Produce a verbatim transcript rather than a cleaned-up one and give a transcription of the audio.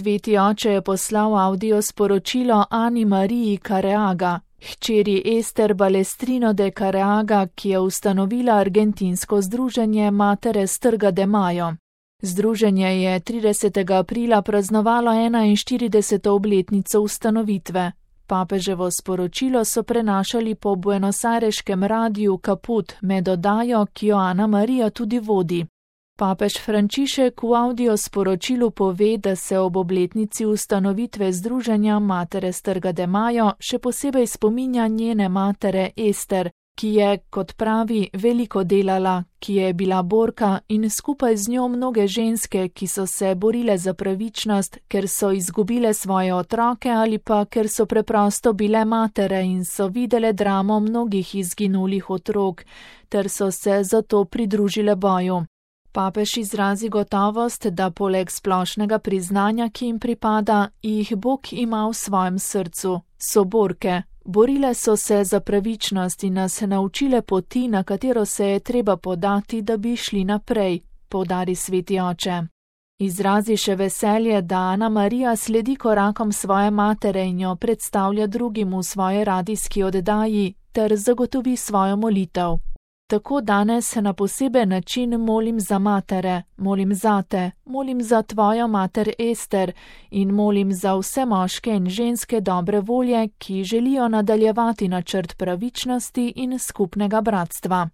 Sveti oče je poslal audio sporočilo Ani Mariji Careaga, hčeri Ester Balestrino de Careaga, ki je ustanovila argentinsko združenje Matere Strga de Mayo. Združenje je tridesetega aprila praznovalo enainštirideseto obletnico ustanovitve. Papeževo sporočilo so prenašali po buenosareškem radiju Kaput med oddajo, ki jo Ana Marija tudi vodi. Papež Frančišek v audio sporočilu pove, da se ob obletnici ustanovitve združenja Matere Strga de Mayo še posebej spominja njene matere Ester, ki je, kot pravi, veliko delala, ki je bila borka in skupaj z njo mnoge ženske, ki so se borile za pravičnost, ker so izgubile svoje otroke ali pa ker so preprosto bile matere in so videle dramo mnogih izginulih otrok, ter so se zato pridružile boju. Papež izrazi gotovost, da poleg splošnega priznanja, ki jim pripada, jih Bog ima v svojem srcu, so borke. Borile so se za pravičnost in nas naučile poti, na katero se je treba podati, da bi šli naprej, poudari sveti oče. Izrazi še veselje, da Ana Marija sledi korakom svoje matere in jo predstavlja drugim v svoji radijski oddaji ter zagotovi svojo molitev. Tako danes na poseben način molim za matere, molim zate, molim za tvojo mater Ester in molim za vse moške in ženske dobre volje, ki želijo nadaljevati načrt pravičnosti in skupnega bratstva.